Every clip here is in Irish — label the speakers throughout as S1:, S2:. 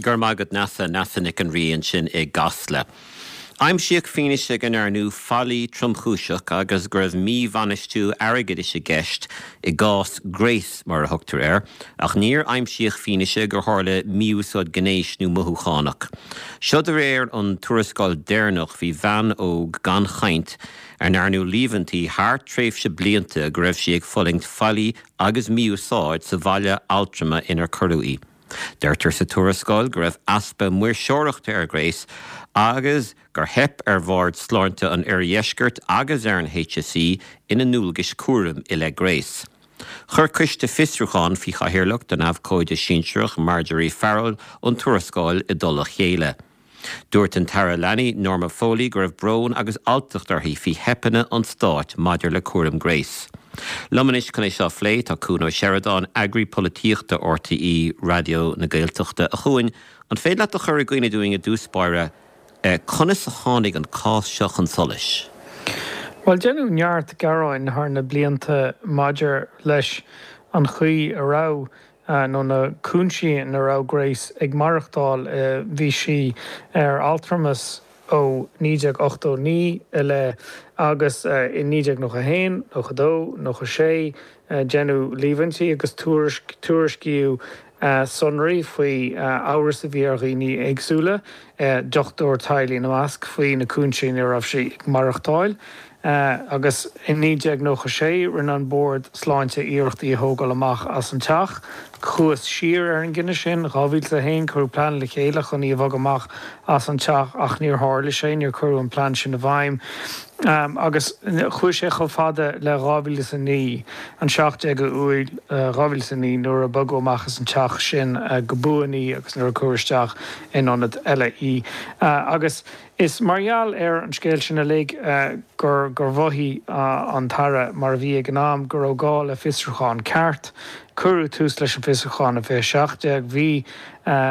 S1: Go raibh maith agat Neasa, Neasa Nic an Rí ansin i gCasla. Aimsíodh fianaise go ndearnadh faillí tromchúiseach agus go raibh míbhainistiú airgeadais i gceist i gcás Grace, mar a thugtar air, ach níor aimsíodh fianaise gur tharla mí-úsáid gnéis nó mothúchánach. Seo de réir an tuarascáil deireanach faoi bhean óg gan chaint ar ndearnadh líomhaintí thar tréimhse blianta go raibh sí ag fulaingt faillí agus mí-úsáid sa bhaile altrama inar cuireadh í. Deirtear sa tuarascáil go raibh easpa maoirseoireachta ar Grace agus gur theip ar Bhord Sláinte an Oirdheiscirt agus ar an HSE ina ndualgais cúraim i leith Grace. Chuir coiste fiosrúcháin faoi chathaoirleacht an abhcóide sinsearach Marjorie Farrell an tuarascáil i dtoll a chéile. Dúirt an tAire Leanaí, Norma Foley, go raibh brón agus alltacht uirthi faoi theipeanna an stáit maidir le cúram Grace. Liom anois chun é seo a phlé tá Cuan Ó Seireadáin, eagraí polaitíochta RTÉ Raidió na Gaeltachta. A Chuain, an féidir leat a chur i gcuimhne dúinn i dtús báire conas a tháinig an cás seo chun solais?
S2: Bhuel, deineadh neart gearáin thar na blianta maidir leis an chaoi a raibh nó na cúinsí ina raibh Grace ag maireachtáil. Bhí sí ar altramas ó 1989 i leith agus i 1991, 92, 96 deineadh líomhaintí agus tuairiscíodh sonraí faoi amhras a bhí ar dhaoine éagsúla, dochtúir teaghlaigh ina measc, faoi na cúinsí ina raibh sí ag maireachtáil. Agus i 1996 rinne an Bord Sláinte iarracht í a thógáil amach as an teach. Chuathas siar ar an gcinneadh sin. 2001 cuireadh plean le chéile chun í a bhogadh amach as an teach ach níor tharla sé, níor cuireadh an plean sin i bhfeidhm. Agus chuaigh sé chomh fada le 2009, an 17 Iúil 2009 nuair a bogadh amach as an teach sin go buan í agus nuair a cuireadh isteach in ionad eile í. Agus. Is mar gheall ar an scéal sin uilig gur gur mhothaigh an tAire, mar a bhí ag an am, go raibh gá le fiosrúchán ceart. Cuireadh tús leis an bhfiosrúchán i 2017. Bhí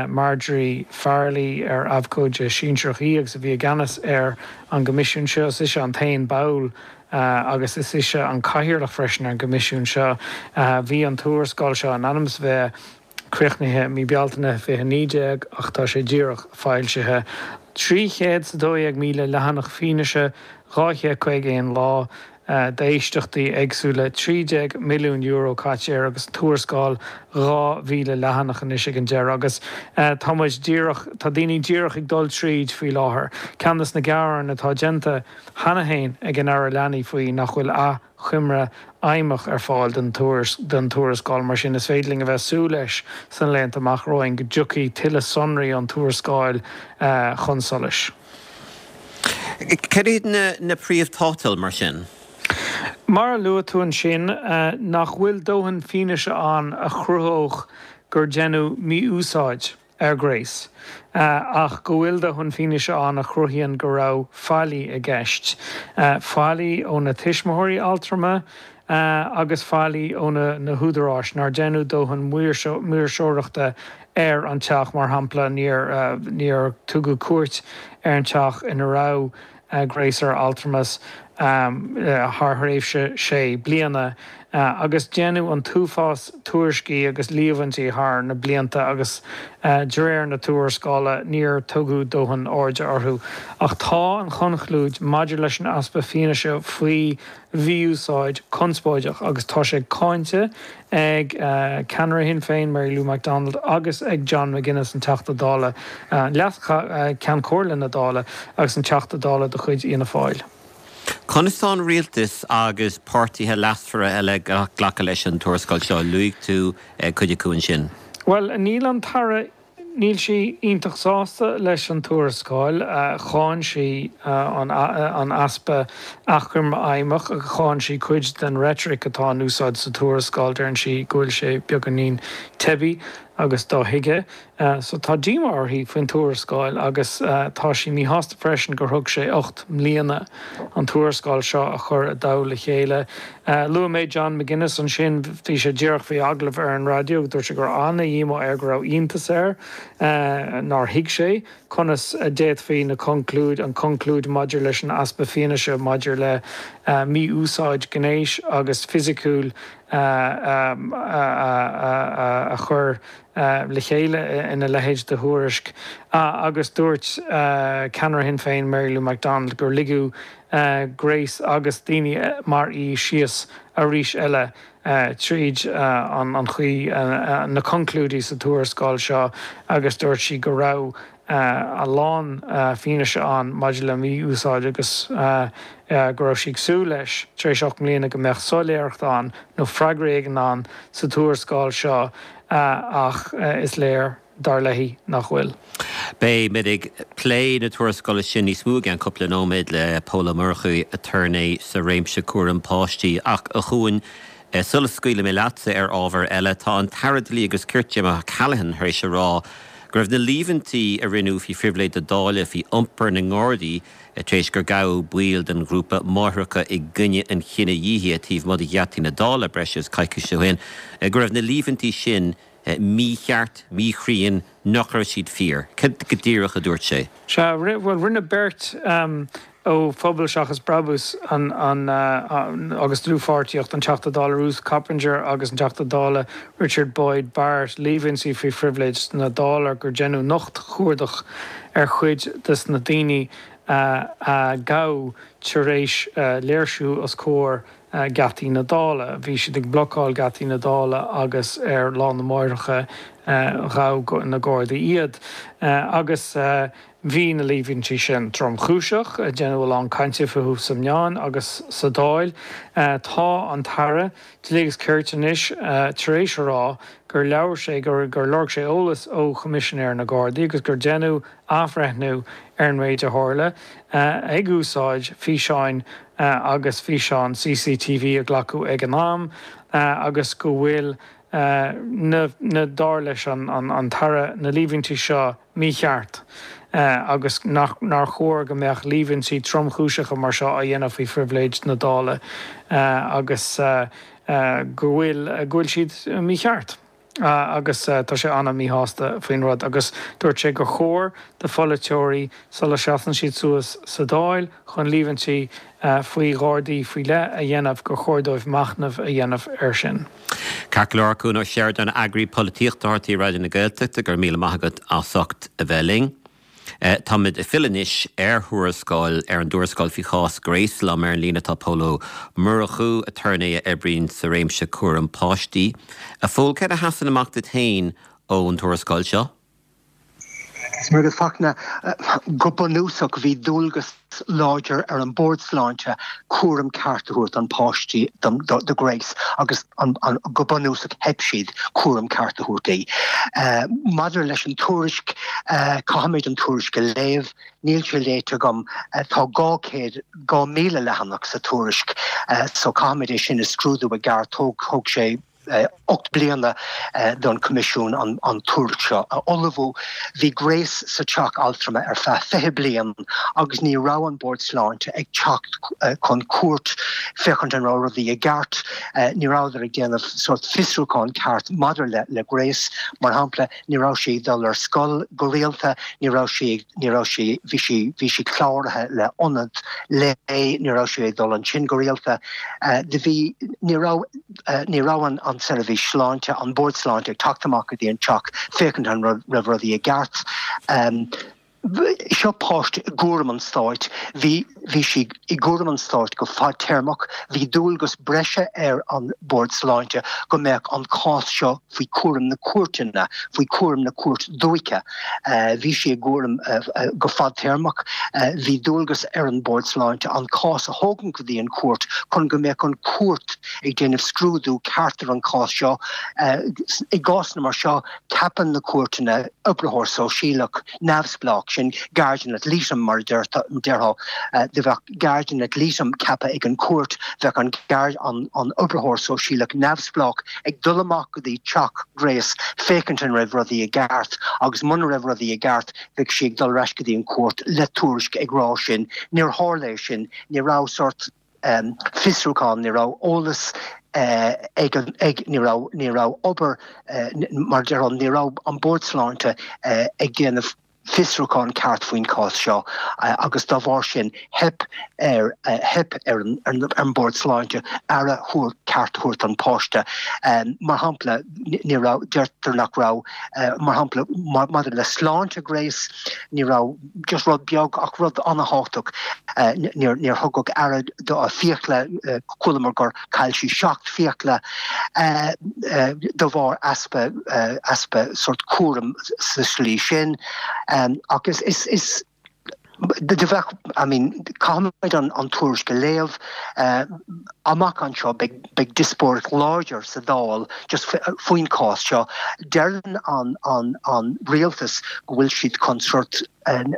S2: Marjorie Farrelly, ar abhcóide sinsearach í agus a bhí i gceannas ar an gcoimisiún seo, is ise an t-aon ball agus is ise an cathaoirleach freisin ar an gcoimisiún seo. Bhí an tuarascáil seo in ainm is a bheith críochnaithe mí Bealtaine 2019 ach tá sé díreach foilsithe. 312,000 leathanach fianaise, 251 lá d'éisteachtaí éagsúla, €13 milliún caite air agus tuarascáil 2,000 leathanach anois ag an deireadh. Agus tá muid díreach, tá daoine díreach ag dul tríd faoi láthair. Ceann des na gearáin atá déanta cheana féin ag an Aire Leanaí faoi nach bhfuil achoimre fheidhmeach ar fáil den tuarascáil. Mar sin, is féidir linn a bheith súil leis sna laethanta amach romhainn go dtiocfaidh tuilleadh sonraí ón tuarascáil chun solais.
S1: Cad iad na príomh-tátail, mar sin?
S2: Mar a luaigh tú ansin, nach bhfuil dóthain fianaise ann a chruthódh gur deineadh mí-úsáid. ar Grace, ach go bhfuil dóthain fianaise ann a chruthaíonn go raibh faillí i gceist, faillí ó na tuismitheoirí altrama agus faillí ó na húdaráis nár deineadh dóthain maoirseoireachta ar an teach, mar shampla níor tugadh cuairt ar an teach ina raibh Grace ar altramas thar thréimhse sé bliana agus deineadh an t-uafás tuairiscí agus líomhaintí thar na blianta agus de réir na tuarascála níor tugadh dóthain airde orthu. Ach tá an chonclúid maidir leis an easpa fianaise faoi mhí-úsáid conspóideach agus tá sé cáinte ag ceannaire Shinn Féin, Mary Lou McDonald, agus ag John McGuinness, an Teachta Dála, Leas-Cheann Comhairle na Dála agus an Teachta Dála de chuid Fhianna Fáil.
S1: Conas tá an rialtas agus páirtithe leasmhara eile ag glacadh leis an tuarascáil seo? Luaigh tú cuid acu ansin.
S2: Bhuel, níl an tAire Níl sí iontach sásta leis an tuarascáil. Cháin sí an easpa achoimre fheidhmeach agus cháin sí cuid den reitric atá in úsáid sa tuarascáil. Deireann sí go bhfuil sé beagáinín teibí agus dothuigthe. So tá díomá uirthi faoin tuarascáil agus tá sí míshásta freisin gur thóg sé 8 mbliana an tuarascáil seo a chur i dtoll le chéile. Luaigh mé John McGuinness ansin, bhí sé díreach faoi agallamh ar an raidió agus dúirt sé go raibh ana-dhíomá air, go raibh iontas air nár thuig sé conas a d'fhéadfaí na conclúid, an conclúid maidir leis an easpa fianaise maidir le. mí-úsáid gnéis agus fisiciúil a chur le chéile ina leithéid de thuairisc agus dúirt ceannaire Shinn Féin Mary Lou McDonald gur ligeadh Grace agus daoine mar í síos arís eile tríd an chaoi, na conclúidí sa tuarascáil seo agus dúirt sí go raibh a lán fianaise ann maidir le mí-úsáid agus go raibh sí ag súil leis, tar éis 8 mbliana, go mbeadh soiléireacht ann nó freagra éigin ann sa tuarascáil seo ach is léir, dar léi, nach bhfuil.
S1: Beimid ag plé na tuarascála sin níos mó i gceann cúpla nóiméad le Pól Ó Murchú, aturnae sa réimse cúram páistí. Ach, a Chuain, Sula scaoilfidh mé leatsa ar ábhar eile, tá an tAire Dlí agus Cirt Jim O'Callaghan tar éis a rá go raibh na líomhaintí a rinneadh faoi phribhléid na Dála faoi iompar na nGardaí tar éis gur gabhadh baill den ghrúpa Máithreacha i gCoinne an Chinedhíothaithe taobh amuigh de gheataí na Dála breis is coicís ó shin, go raibh na líomhaintí sin mícheart, míchruinn, nach raibh siad fíor. Cad go díreach a dúirt sé?
S2: Sea, bhuel, rinne beirt ó Phobal Seachas Brabús agus Dlúthpháirtíocht, an Teachta Dála Ruth Coppinger agus an Teachta Dála Richard Boyd Barrett, líomhaintí faoi phribhléid na Dála gur deineadh nochtchuardach ar chuid des na daoine a gabhadh tar éis léirsiú os comhair geataí na Dála. Bhí siad ag blocáil geataí na Dála agus ar Lá na Máithreacha ghabh na Gardaí iad. Agus bhí na líomhaintí sin tromchúiseach, deineadh a lán cainte fúthu sa meáin agus sa Dáil. Tá an tAire Dlí agus Cirt anois tar éis a rá gur labhair sé, gur lorg sé eolas ó Choimisinéir na Gardaí agus gur deineadh athbhreithniú ar an méid a tharla, ag úsáid físeáin agus físeáin CCTV a glacadh ag an am agus go bhfuil na, dar leis an tAire, na líomhaintí seo mícheart agus nach, nár chóir go mbeadh líomhaintí tromchúiseacha mar seo á dhéanamh faoi phribhléid na Dála agus go bhfuil, go bhfuil siad mícheart. agus tá sé an-mhíshásta faoin rud agus dúirt sé gur chóir do pholaiteoirí, sula seasann siad suas sa Dáil chun líomhaintí faoi Ghardaí faoi leith a dhéanamh, gur chóir dóibh machnamh a dhéanamh air sin.
S1: Ceart go leor, Cuan Ó Seireadáin, Eagraí Polaitíochta RTÉ Raidió na Gaeltachta, go raibh míle maith agat as ucht a bheith linn. Táimid ag filleadh anois ar thuarascáil, ar an dtuarascáil faoi chás Grace. Liom ar an líne tá Pól Ó Murchú, aturnae a oibríonn sa réimse cúram páistí. A Phóil, céard a sheasann amach duit féin ón tuarascáil seo?
S3: Muireadhach Fachtna, Go bunúsach bhí dualgas láidir ar an Bord Sláinte cúram ceart a thabhairt don pháistí, do Grace, agus go bunúsach theip siad cúram ceart a thabhairt di. Maidir leis an tuairisc, caithfimid an tuairisc a léamh, níl sé léite agam, tá 200, 2,000 leathanach sa tuairisc so caithfimid é sin a scrúdú i gceart, thóg sé 8 bliana don Choimisiún an tuairisc seo a ullmhú. Bhí Grace sa teach altrama ar feadh 20 bliain agus ní raibh an Bord Sláinte ag teacht chun cuairt féachaint an raibh rudaí i gceart. Ní rabhadar ag déanamh sórt fiosrúchán ceart maidir le Grace. Mar shampla, ní raibh sí ag dul ar scoil go rialta, ní raibh sí, ní raibh sí, bhí sí, bhí sí cláraithe le ionad lae, ní raibh sí ag dul ansin go rialta. Do bhí, ní raibh. Ní raibh an tseirbhís sláinte, an Bord Sláinte ag teacht amach go dtí an teach féachaint an raibh rudaí i gceart. Seo páiste i gcúram an stáit. Bhí bhí sí i gcúram an stáit go fadtéarmach. Bhí dualgas breise ar an Bord Sláinte go mbeadh an cás seo faoi chúram na cúirteanna, faoi chúram na Cúirt Dúiche. Bhí sí i gcúram go fadtéarmach. Bhí dualgas ar an Bord Sláinte an cás a thógaint go dtí an chúirt chun go mbeadh an chúirt ag déanamh scrúdú ceart ar an chás seo. I gcásanna mar seo, ceapann na cúirteanna oibritheoir sóisialach neamhspleách, sin guardian ad litem mar a déarfá. Do bheadh guardian ad litem ceaptha ag an chúirt, bheadh an oibritheoir sóisialach neamhspleách ag dul amach go dtí teach Grace féachaint an raibh rudaí i gceart agus muna raibh rudaí i gceart bheadh sí ag dul ar ais go dtí an chúirt le tuairisc ag rá sin. Níor tharla é sin. Ní raibh sórt fiosrúchán, ní raibh eolas ag an, ag, ní raibh, ní raibh obair, mar a déarfá, ní raibh an Bord Sláinte ag déanamh. fiosrúchán ceart faoin chás seo agus dá bharr sin theip ar theip ar an mBord Sláinte aire thabhairt ceart a thabhairt don pháiste. Mar shampla, ní raibh, deirtear nach raibh, mar shampla, maidir le sláinte Grace, ní raibh just rud beag ach rud an-thábhachtach, níor níor thugadh aire do a fiacla, chualamar gur chaill sí 7 fiacla de bharr easpa easpa sort cúram sa slí sin. Ach is is is do bheadh, I mean, caithfimid an an tuairisc a léamh. Amach anseo beidh beidh diospóireacht láidir sa Dáil just faoin chás seo. Deireann an an an rialtas go bhfuil siad chun sort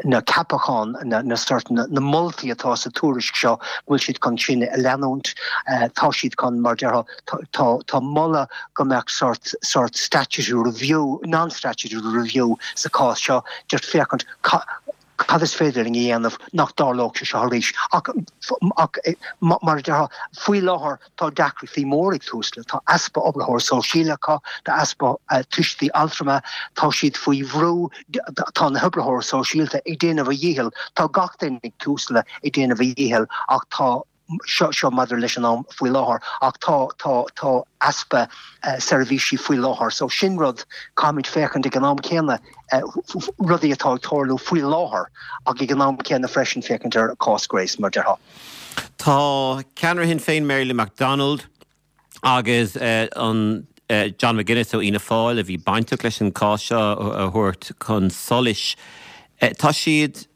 S3: na ceapacháin, na sort na moltaí atá sa tuairisc seo, go bhfuil siad chun sin a leanúint. Tá siad chun, mar déarfá, tá tá moladh go mbeadh sort sort statutory review, non-statutory review sa chás seo, just féachaint cad is féidir linn a dhéanamh nach dtarlódh sé seo arís. Ach ach mar a déarfá, faoi láthair tá deacrachtaí mór ag Tusla, tá easpa oibritheoir sóisialta acu, tá easpa tuistí altrama, tá siad faoi bhrú, tá na hoibritheoir sóisialta ag déanamh a dhícheall, tá gach duine ag Tusla ag déanamh a dhícheall ach tá, seo, seo maidir leis an am faoi láthair ach tá, tá, tá easpa seirbhísí faoi láthair so sin rud, caithfimid féachaint ag an am céanna rudaí atá ag tarlú faoi láthair ach ag an am céanna freisin féachaint ar cás Grace
S1: mar déarfá. Tá ceannaire Shinn Féin Mary Lou McDonald agus an John McGuinness ó Fhianna Fáil a bhí bainteach leis an cás seo a thabhairt chun solais, tá siad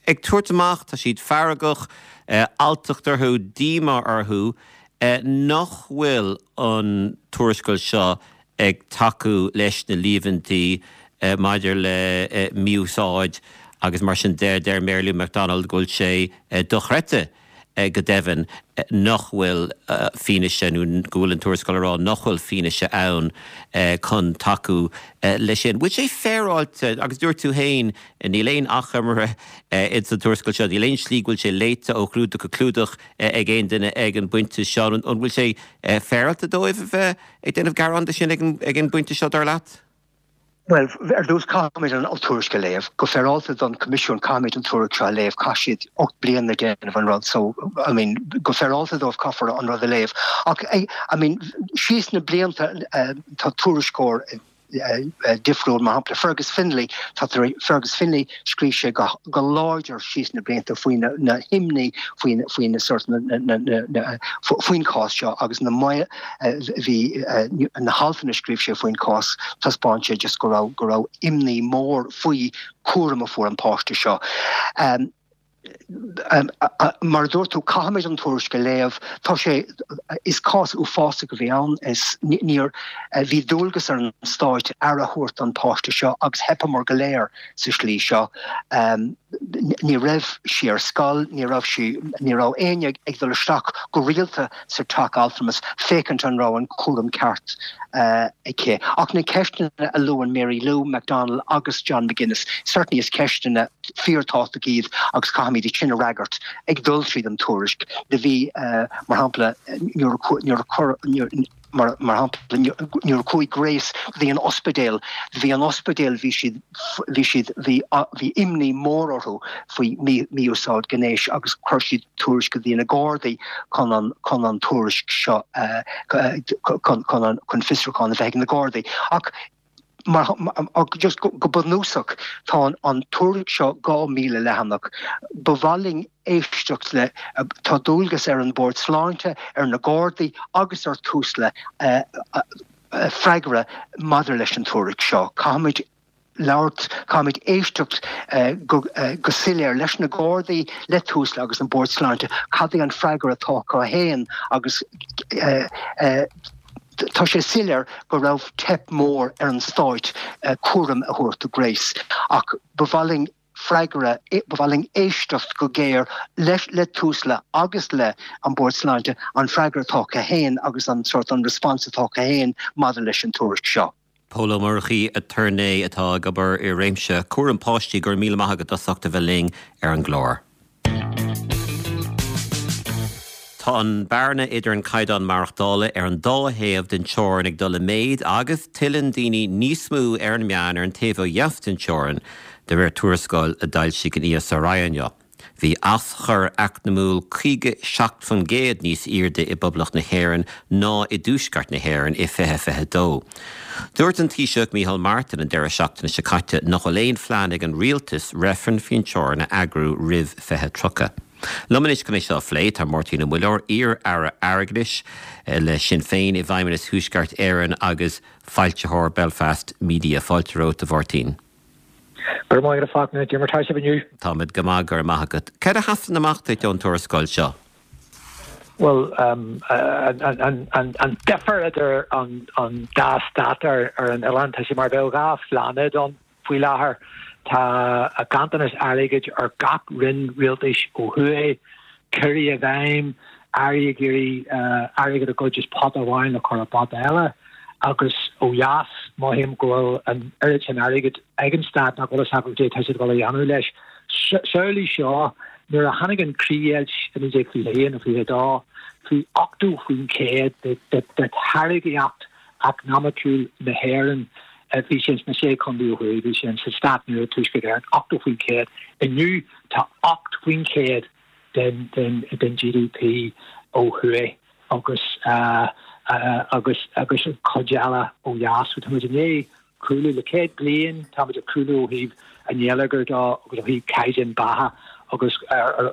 S1: ag tabhairt amach, tá siad feargach, alltacht orthu, díomá orthu nach bhfuil an tuarascáil seo ag tacú leis na líomhaintí maidir le mí-úsáid agus mar sin de. Deir Mary Lou McDonald go bhfuil sé dochreidte go deimhin nach bhfuil fianaise nó go bhfuil an tuarascáil ag rá nach bhfuil fianaise ann chun tacú leis sin. Bhfuil sé féaráilte, agus dúirt tú féin níl aon achoimre ins an tuarascáil seo, níl aon slí go bhfuil sé léite ó chlúdach go clúdach ag aon duine ag an bpointe seo, an bhfuil sé féaráilte dóibh a bheith ag déanamh gearán de sin ag an bpointe seo, dar leat?
S3: Bhuel, ar dtús caithfimid an tuairisc a léamh. Go féaráilte don Choimisiún caithfimid an tuairisc seo a léamh. Chaith siad 8 bliana ag déanamh an rud so, I mean, go féaráilte dóibh caithfear an rud a léamh. Ach, I mean, síos na blianta tá tuairisceoir difriúil, mar shampla Fergus Finlay, tá Fergus Finlay, scríobh sé go go láidir síos na blianta faoi na himní faoi faoi na sort na na na faoin chás seo agus na Bhí na haltanna a scríobh sé faoin chás, taispeáin sé just go raibh, go raibh imní mór faoi cúram a fuair an páiste seo. Mar a dúirt tú, caithfimid an tuairisc a léamh. Tá sé, is cás uafásach a bhí ann. Is níor, bhí dualgas ar an stáit aire a thabhairt don páiste seo agus theipeamar go léir sa slí seo. Ní raibh sí ar scoil, ní raibh sí, ní raibh éinne ag dul isteach go rialta sa teach altramais féachaint an raibh an cúram ceart aici. Ach na ceisteanna a luann Mary Lou McDonald agus John McGuinness, certainly is ceisteanna fíorthábhachtacha iad agus caithfimid iad sin a fhreagairt ag dul tríd an tuairisc. Do bhí, mar shampla, nuair a chuir, Mar shampla, nuair a chuaigh Grace go dtí an ospidéal, bhí an ospidéal, bhí siad, bhí siad, bhí, bhí imní mór orthu faoi mí-úsáid gnéis agus chuir siad tuairisc go dtí na Gardaí chun an, chun an tuairisc seo, chun, chun an, chun fiosrúchán a bheith ag na Gardaí. Ach Mar, just go bunúsach, tá an tuairisc seo 2,000 leathanach. Ba mhaith linn éisteacht le, tá dualgas ar an Bord Sláinte, ar na Gardaí agus ar Tusla freagra maidir leis an tuairisc seo. Caithfimid labhairt, caithfimid éisteacht go soiléir leis na Gardaí, le Tusla agus an Bord Sláinte, cad é an freagra atá acu féin agus Tá sé soiléir go raibh teip mór ar an stáit cúram a thabhairt do Grace ach ba mhaith linn freagra, ba mhaith linn éisteacht go géar leis le Tusla agus le an Bord Sláinte an freagra atá acu féin agus an sort an response atá acu féin maidir leis an tuairisc seo.
S1: Pól Ó Murchaidh, aturnae atá ag obair i réimse cúram páistí, go raibh míle maith agat as ucht a bheith linn ar an gclár. Tá an bearna idir an caighdeán maireachtála ar an dá thaobh den teorainn ag dul i méid agus tuilleann daoine níos mó ar an meán ar an taobh ó dheas den teorainn. De réir tuarascáil a d'fhoilsigh an ESRI inniu, bhí aschur eacnamúil 57% níos airde i bPoblacht na hÉireann ná i dTuaisceart na hÉireann i 2022. Dúirt an Taoiseach Micheál Martin an deireadh seachtaine seo caite nach bhfuil aon phlean ag an rialtas reifreann faoin teorainn a eagrú roimh 2030. Liom anois chun é seo a phlé tá Máirtín Ó Muilleoir, iar-aire airgeadais le Sinn Féin i bhFeidhmeannas Thuaisceart Éireann agus foilsitheoir Belfast Media. Fáilte romhat, a Mháirtín.
S4: Go raibh maith agat a Fachtna, cad é mar tá sibh inniu?
S1: Táimid go maith, go raibh maith agat. Céard a sheasann amach duit ón tuarascáil seo?
S4: Bhuel, an difear idir an dá stát ar an oileán, tá sé mar a bheadh dhá phláinéad ann faoi láthair. Tá ganntanas airgid ar gach roinn rialtais ó thuaidh, ciorruithe i bhfeidhm, airí ag iarraidh airgead a ghoid as pota amháin le cur i bpota eile. Agus ó dheas, mothaím go bhfuil an oiread sin airgid ag an stát nach bhfuil fhios acu cad é atá siad ag dul a dhéanamh leis. Samhlaigh seo, nuair a tháinig an chríochdheighilt i 1921 nó 22, bhí 80% de tháirgíocht eacnamaiciúil na hÉireann, bhí sé sna Sé Chontae ó thuaidh, bhí sé sa stát nua, Tuaisceart Éireann, 80%. Inniu tá 8% den GDP ó thuaidh agus agus agus an chuid eile ó dheas. So tá muid i ndiaidh cúlú le 100 bliain, tá muid ag cúlú ó thaobh an gheilleagair de agus ó thaobh caighdeán beatha agus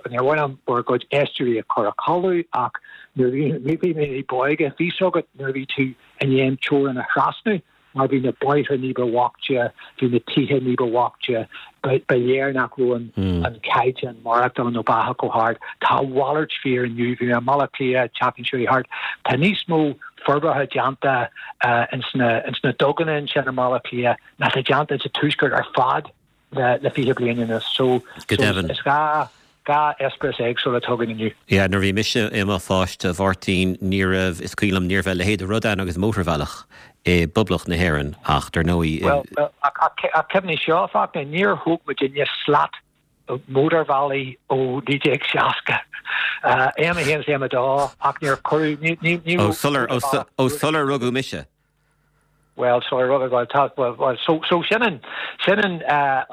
S4: níor mhaith liom bhur gcuid éisteoirí a chur a chodladh ach nuair a bhí mé ní b'óige, bhí fhios agat nuair a bhí tú i ndiaidh an teorainn a thrasnú. mar bhí na bóithre ní ba bhoichte, bhí na tithe ní ba bhoichte, ba léir nach raibh an caighdeán maireachtála nó beatha chomh hard. Tá a mhalairt fíor inniu. Bhí mé i mBaile Átha Cliath an tseachtain seo chuaigh thart. Tá níos mó forbartha déanta ins na duganna ansin i mBaile Átha Cliath ná tá déanta sa Tuaisceart ar fad. le 20 bliain anuas. So,
S1: Go deimhin.
S4: is gá, gá eispéireas éagsúla atá againn inniu.
S1: Yeah, nuair a bhí mise i mo pháiste, a Mháirtín, ní raibh, is cuimhin liom, ní raibh a leithéid de rud ann agus mótarbhealach i bPoblacht na hÉireann ach dar ndóigh,
S4: Bhuel, ach cuimhnigh seo, a Fhachtna, níor thóg muidinne slat mótarbhealaigh ó 1960, M1 is M2 ach níor cuireadh, ní, ní, ní
S1: raibh Ó, sular, ó sular rugadh mise.
S4: Bhuel, so ar rugadh, bhuel, tá, bhuel, bhuel, so, so sin an, sin an,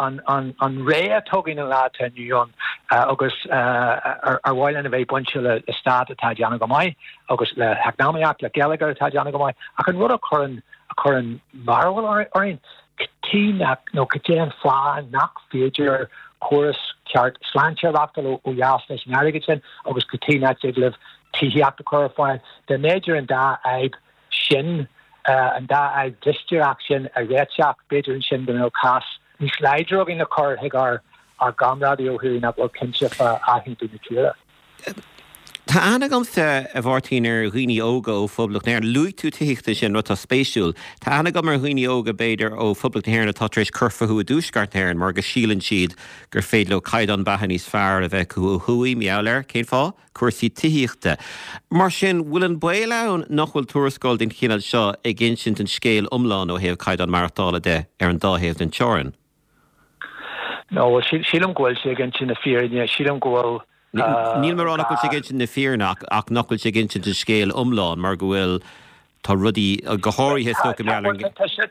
S4: an, an, an ré atá againn an lá atá inniu ann agus ar, ar mhaith linn a bheith bainte le, le stát atá ag déanamh go maith agus le heacnamaíocht, le geilleagar atá ag déanamh go maith ach an rud a chuireann, a chuireann mearbhall orainn, cad chuige nach, nó cad é an fáth nach féidir córas ceart sláinte a reachtáil ó, ó dheas leis an airgead sin agus cad chuige nach dtig libh tithíocht a chur ar fáil. Dá mb'fhéidir an dá fhadhb sin, an dá fhadhb mhistéireach sin a réiteach, b'fhéidir ansin go mbeadh cás níos láidre againn le cur chuig ár gcomrádaithe ó thuaidh nach bhfuil cinnte fá athaontú na tíre.
S1: Tá aithne agamsa, a Mháirtín, ar dhaoine óga ó Phoblacht na hÉireann. Luaigh tú tithíocht ansin, rud atá spéisiúil. Tá aithne agam ar dhaoine óga, b'fhéidir, ó Phoblacht na hÉireann atá tar éis cur fúthu i dTuaisceart na hÉireann mar go síleann siad gur féidir leo caighdeán beatha níos fearr a bheith acu ó thuaidh, mar gheall air. Cén fáth? cúrsaí tithíochta. Mar sin, bhfuil an baol ann nach bhfuil tuarascáil den chineál seo ag insint an scéil iomlán ó thaobh caighdeán maireachtála de ar an dá thaobh den teorainn?
S4: No, bhuel, sílim go bhfuil sé ag insint na fírinne. Sílim go bhfuil.
S1: Níl mé ag rá nach bhfuil sé ag insint na fírinne ach ach nach bhfuil sé ag insint an scéil iomlán mar go bhfuil, tá rudaí, go háirithe is dócha, mar gheall ar an.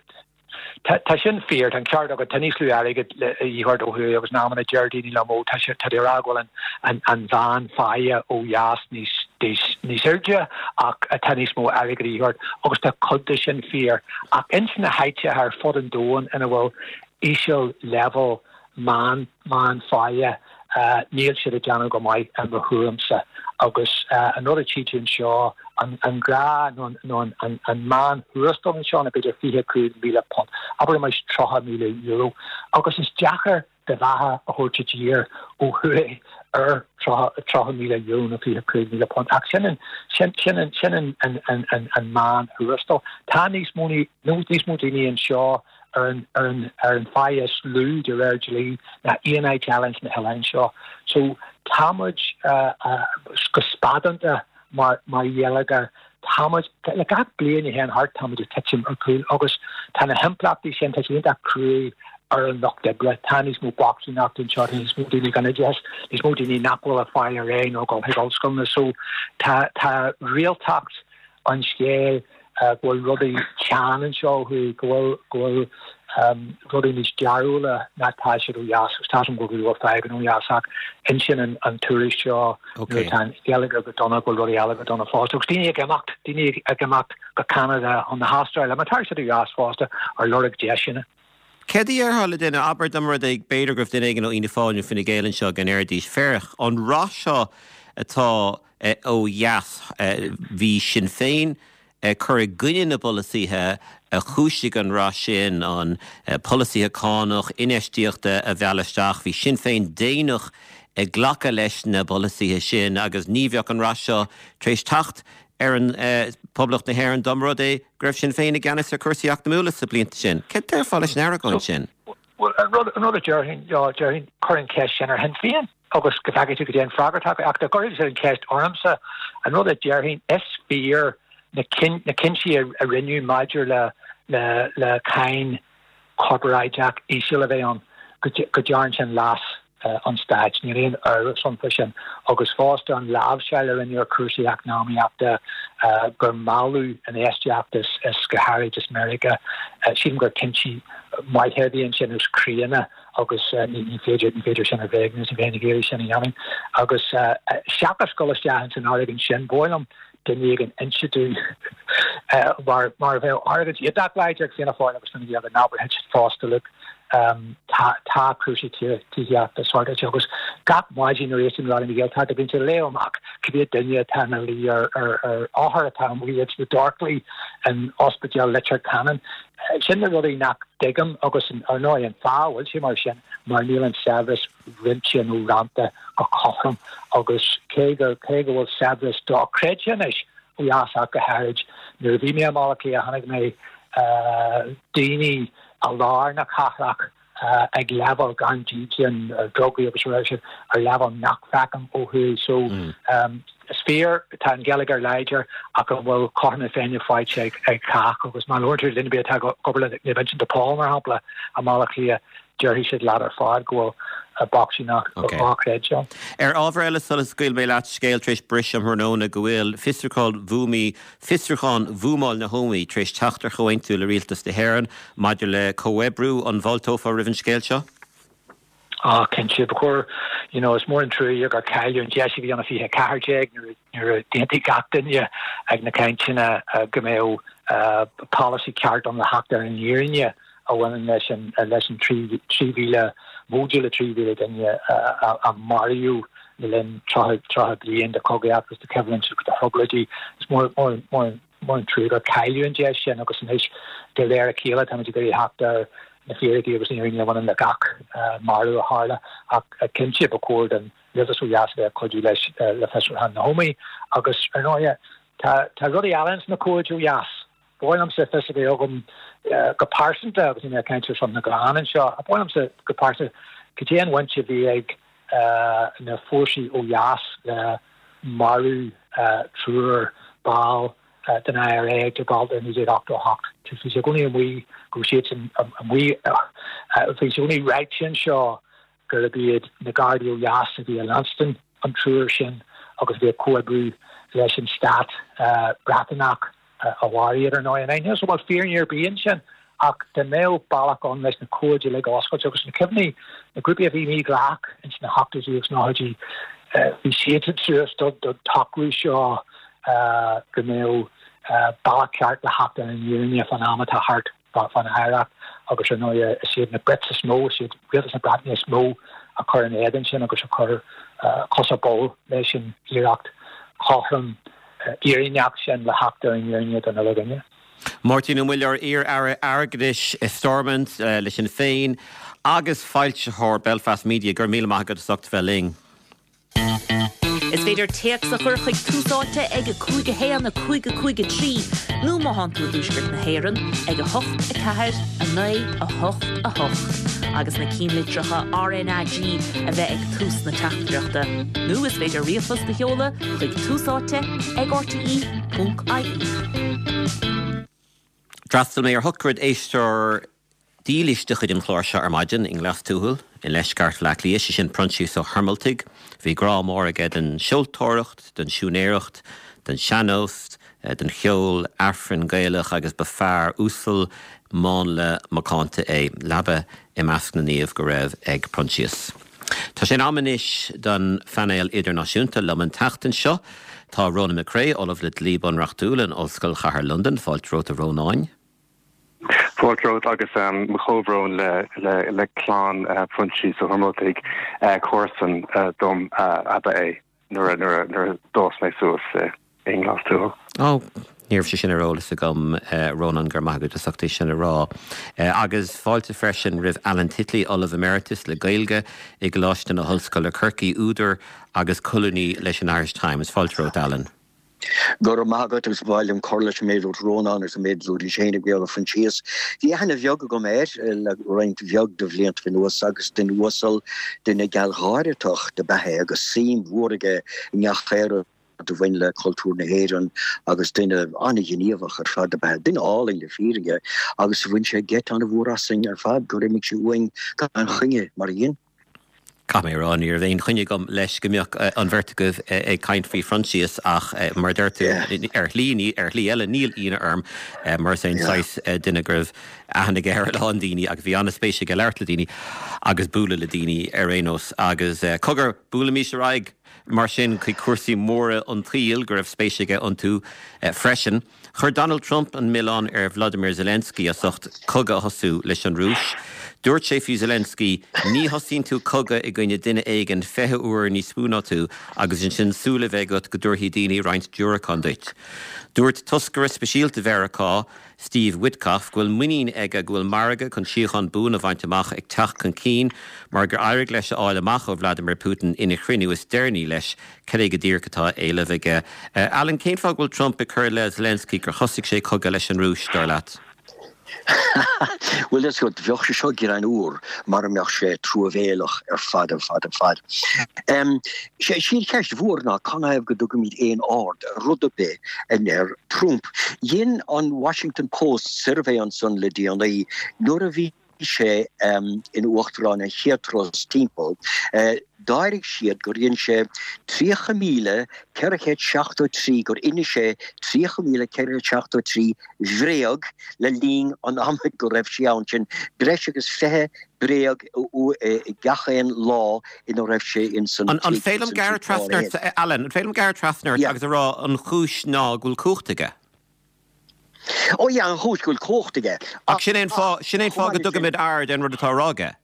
S4: Tá sin fíor, tá an ceart agat, tá níos lú airgid a dhíth ort ó thuaidh agus in amanna deir daoine liom ó tá sé, tá tú ag rá go bhfuil an an mheán-pháighe ó dheas níos níos níos airde ach tá níos mó airgid a dhíth ort agus tá cuid de sin fíor ach ins na háiteacha ar fud an domhain ina bhfuil íseal leibhéal meán meánpháighe níl siad ag déanamh go maith i mo thuairimse agus an rud a tchí tú anseo, an gnáth nó an an meán-thuarastal anseo ná b'fhéidir £25,000, abraimis €30,000 agus is deacair do bheatha a thabhairt i dtír ó thuaidh ar €30,000 nó £25,000 ach sin an sin sin an sin an an an an meán-thuarastal. Tá níos mó níos mó daoine anseo ar an ar an ar an pháighe is lú de réir dlí ná aon áit eile ins na hoileáin seo. So tá muid go spadánta mar mar gheilleagar, tá muid, le gach bliain a théann thart tá muid ag titim ar cúl agus tá na himpleachtaí sin, tá sé iontach cruaidh ar an lucht oibre. Tá níos mó bochtaineachta anseo, tá níos mó daoine gan oideachas, níos mó daoine nach bhfuil ag fáil ar aghaidh nó ag dul chuig ollscoileanna. So tá tá réaltacht an scéil go bhfuil rudaí teann anseo ó thuaidh, go bhfuil, go bhfuil. Rudaí níos dearúla ná tá siad ó dheas agus tá a fhios agam go bhfuil fadhbanna ó dheas ach insíonn an tuairisc seo nuair atá an geilleagar go dona go bhfuil rudaí eile go dona fosta agus daoine ag imeacht, daoine ag imeacht go Ceanada chun na hAstráile mar tá siad ó dheas fosta ar lorg deiseanna.
S1: Céard a déarfá le duine, abair dá mba rud é b'fhéidir go raibh duine éigin ó Fhianna Fáil nó Fine Gael anseo go ndéarfaidís, féach, an rath seo atá ó dheas, bhí Sinn Féin ag cur i gcoinne na bpolasaithe a chúisigh an rath sin, an polasaithe cánach, infheistíochta a mhealladh isteach. Bhí Sinn Féin déanach ag glacadh leis na polasaithe sin agus ní bheadh an rath seo tar éis teacht ar an Poblacht na hÉireann dá mba rud é go raibh Sinn Féin i gceannas ar chúrsaí eacnamúla sna blianta sin. Céard a déarfá leis an argóint sin?
S4: Bhuel, an rud a déarfainn, déarfainn, cuir an cheist sin ar Shinn Féin. agus go bhfeicfidh tú cad é an freagra atá acu. Ach dá gcuirfidh siad an cheist ormsa, an rud a déarfainn, is fíor na cinntí a rinneadh maidir le le cáin chorparáideach íseal a bheith ann, go dtearn sin leas an stáit. Níl aon amhras ann faoi sin. Agus fosta an láimhseáil a rinneadh ar chúrsaí eacnamaíochta, gur mealladh infheistíocht is go háirid as Meiriceá, sílim gur cinntí maithe a bhí ansin agus críonna. agus ní féidir, ní féidir sin a bhréagnú, ní bheinn ag iarraidh sin a dhéanamh. Agus seachas dul isteach ins an argóint sin, ba mhaith liom duine éigin inse domh mar, mar bheadh argóint iontach láidir ag Fianna Fáil agus Fine Gael go n-abrfaidh siad fosta, look, tá, tá cúrsaí tithíochta sortáilte agus gach maidin nuair a éistim le Raidió na Gaeltachta bíonn siad ag léamh amach cibé duine atá ina luí ar, ar, ar othar atá amuigh ins na dorchlaí in Ospidéal Leitir Ceanainn. Sin na rudaí nach dtuigim agus ar ndóigh an fáth a bhfuil sé mar sin mar níl an saibhreas roinnte nó rannta go cothrom agus cé go cé go bhfuil saibhreas dochreidte anois ó dheas ach go háirid nuair a bhí mé i mBaile Átha Cliath chonaic mé daoine i lár na cathrach ag leibhéal gan dídean, ar drugaí agus a sin, ar leibhéal nach bhfeicim ó thuaidh. So, is fíor, tá an geilleagar láidir ach an bhfuil cothrom na Féinne faighte ag cách agus má labhrann tú le duine ar bith atá ag obair le Naomh Uinseann de Pól, mar shampla, i mBaile Átha Cliath, déarfaidh siad leat ar fad go bhfuil bochtaineacht dhochreidte ann.
S1: Ar ábhar eile, sula scaoilfidh mé leat, scéal tar éis briseadh um thráthnóna go bhfuil fiosrúchán bhuamaí Fiosrúchán bhuamáil na hÓmaí tar éis teacht ar chomhaontú le Rialtas na hÉireann maidir le comhoibriú. An bhfáilteofá roimh an scéal seo?
S4: Ah, cinnte. Ba chóir, you know, is mór an trua gur cailleadh an deis a bhí ann i 2014 nuair nuair a d'aontaigh gach duine ag na cainteanna go mbeadh polasaí ceart ann le theacht ar an fhírinne a bhaineann leis an leis an 3,000, móide le 3,000 duine a maraíodh le linn 30 bliain de chogaíocht agus de choimhlint agus de thrioblóidí. Is mór mór mór an trua gur cailleadh an deis sin agus anois de réir a chéile táimid ag iarraidh theacht ar na fíricí agus an fhírinne a bhaineann le gach marú a tharla ach cinnte ba chóir don rialtas ó dheas a bheith ag cuidiú leis le fiosrúchán na hÓmaí agus ar ndóighe tá tá rudaí eile ins na comhaid ó dheas. Ba mhaith liomsa fios a bheith agam go pearsanta, agus níl mé ag caint ar son na gclann anseo, ach ba mhaith liomsa go pearsanta, cad é an bhaint a bhí ag na fórsaí ó dheas le marú triúr ball den IRA ag Gibraltar i 1988. Bhí sé i gcónaí amuigh go raibh siadsan amuigh, bhí sé i gcónaí ráite anseo gurb iad na Gardaí ó dheas a bhí ag leanstan an triúr sin agus a bhí ag comhoibriú leis an stát Breataineach a mharaigh iad ar ndóigh. Níl a fhios an bhfuil fírinne ar bith ansin ach dá mbeadh bealach ann leis na comhaid uilig a oscailt agus na cuimhní, na grúpaí a bhí mídhleathach ins na hochtóidí agus nóchaidí, bhí siadsan suas don tsocrú seo go mbeadh bealach ceart le theacht ar an fhírinne fán am atá thart. fán oidhreacht agus ar ndóigh is iad na Brits is mó, is iad rialtas na Breataine is mó a chuir ina éadan sin agus a chuir cos ar bolg leis an iarracht chothrom fhírinneach sin le theacht ar an fhírinne don uile dhuine.
S1: Máirtín Ó Muilleoir, iar-aire airgeadais i Stormont le Sinn Féin agus foilsitheoir Belfast Media, go raibh míle maith agat as ucht a bheith linn.
S5: Is féidir téacs a chur chuig Tús Áite ag 5 1 5 5 3 nó má thánn tú i dTuaisceart na hÉireann ag 8 4 9 8 8 agus na cinnlitreacha RnaG a bheith ag tús na teachtaireachta. Nó is féidir ríomhphost a sheoladh chuig Tús Áite ag rte.ie.
S1: D'fhreastail mé ar shochraid éisteoir dílis de chuid an chláir seo ar maidin i nGlas Tuathail i ndeisceart Bhaile Átha Cliath, sé sin Proinsias Ó hUrmoltaigh. Bhí grá mór aige don seoltóireacht, don siúinéireacht, don sean-nós, don cheol Aifrinn Gaelach agus ba fear uasal, mánla, macánta é. Leaba i measc na naomh go raibh ag Proinsias. Tá sé in am anois don phainéal idirnáisiúnta. Liom an tseachtain seo tá Ronan McCrea, Ollamh le Dlí Bunreachtúil in Ollscoil Chathair Londan. Fáilte romhat a Rónáin.
S6: Fáilte romhat agus mo chomhbhrón le clann Phroinsias Ó hIomrótaigh. Comharsan dom ab ea é nuair a d'fhás mé suas i nGlas Tuathail.
S1: Ó, ní raibh sé sin ar eolas agam, Rónán, go raibh maith agat as ucht é sin a rá. Agus fáilte freisin roimh Alan Titley, Ollamh Emeritus le Gaeilge i gColáiste na hOllscoile Corcaigh, údar agus colúnaí leis an Irish Times. Fáilte romhat, Alan.
S7: Go raibh maith agat agus ba mhaith liom cur leis an méid a dúirt Rónán agus an méid a dúirt Shane ag Béal Phroinsias. Bhí aithne bheag agam air le roinnt bheag de bhlianta anuas agus duine uasal, duine gealgháireach do b'ea é agus suim mhór aige i ngach aon rud a bhain le cultúr na hÉireann agus duine an-ghníomhach ar fad do b'ea é. Duine álainn le fírinne agus bhain sé geit an-mhór asainn ar fad gur imigh sé uainn gan choinne mar a dhein.
S1: Caithfidh mé a rá, ní raibh aon choinne agam leis go mbeadh an bheirt agaibh ag caint faoi Phroinsias ach mar a deir tú, ar shlí, ar shlí eile, níl ionadh orm mar is é an saghas duine go raibh aithne aige ar a lán daoine agus bhí an-spéis aige labhairt le daoine agus bualadh le daoine ar aon nós. Agus cogar, buailimís ar aghaidh mar sin chuig cúrsaí móra an tsaoil go raibh spéis aige iontu freisin. Chuir Donald Trump an milleán ar Vladimir Zelensky as ucht cogadh a thosú leis an Rúis. Dúirt sé faoi Zelensky, Ní thosaíonn tú cogadh i gcoinne duine éigin 20 uair níos mó ná tú agus ansin súil a bheith agat go dtabharfaidh daoine roinnt diúracán duit. Dúirt toscaire speisialta Mheiriceá, Steve Witkoff, go bhfuil muinín aige go bhfuil margadh chun síocháin buan a bhaint amach ag teacht chun cinn mar gur éirigh leis a fháil amach ó Vladimir Putin ina chruinniú is deireanaí leis Cad é go díreach atá á éileamh aige? Alan, cén fáth go bhfuil Trump ag cur i leith Zelensky gur thosaigh sé cogadh leis an Rúis, dar leat?
S7: Bhuel, is rud, bheadh sé seo greannmhar mara mbeadh sé truamhéalach ar fad, ar fad, ar fad. Sé an cheist mhór ná canathaobh go dtugaimid aon aird ar rud ar bith a ndeir Trump. Dhein an Washington Post suirbhé ansan le déanaí nuair a bhí sé ina uachtarán an chéad turas timpeall, d'éirigh siad gur dhein sé 30,473, gur inis sé 30,473 bhréag le linn an ama go raibh sé ann, sin breis agus 20 bréag i gach aon lá ina raibh sé ins
S1: an An féidir liom gearradh trasna ort, Alan, an féidir liom gearradh trasna ort agus a rá an chúis ná go bhfuil cumhacht aige?
S7: Ó yeah, an chúis go bhfuil cumhacht aige.
S1: Ach sin é an fáth, sin é an fáth go dtugaimid aird ar an rud atá á rá aige.